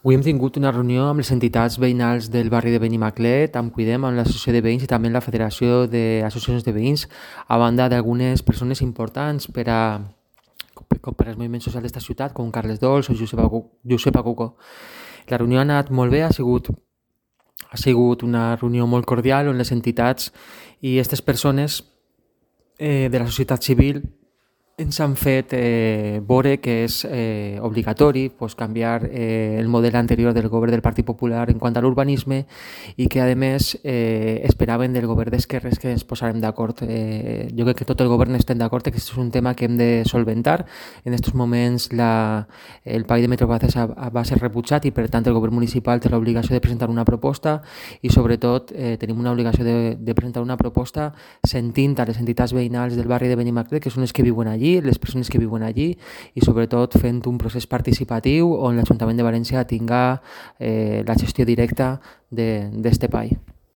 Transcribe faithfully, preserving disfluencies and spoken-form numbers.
Avui hem tingut una reunió amb les entitats veïnals del barri de Benimaclet, amb Cuidem, amb l'associació de veïns i també amb la Federació d'Associacions de Veïns, a banda d'algunes persones importants per a com per als moviments socials d'esta ciutat, com Carles Dols o Josep Agu- Josep Aguco. La reunió ha anat molt bé, ha sigut, ha sigut una reunió molt cordial on les entitats i aquestes persones eh, de la societat civil ens han fet eh, veure que és eh, obligatori pues, canviar eh, el model anterior del govern del Partit Popular en quant a l'urbanisme i que, a més, eh, esperaven del govern d'esquerres que ens posarem d'acord. Eh, jo crec que tot el govern estem d'acord que aquest és un tema que hem de solventar. En aquests moments la, el Pacte de Metrobases va ser rebutjat i, per tant, el govern municipal té l'obligació de presentar una proposta i, sobretot, eh, tenim una obligació de, de presentar una proposta sentint a les entitats veïnals del barri de Benimaclet, que són les que viuen allí, les persones que viuen allí i sobretot fent un procés participatiu on l'Ajuntament de València tinga eh, la gestió directa d'aquest espai.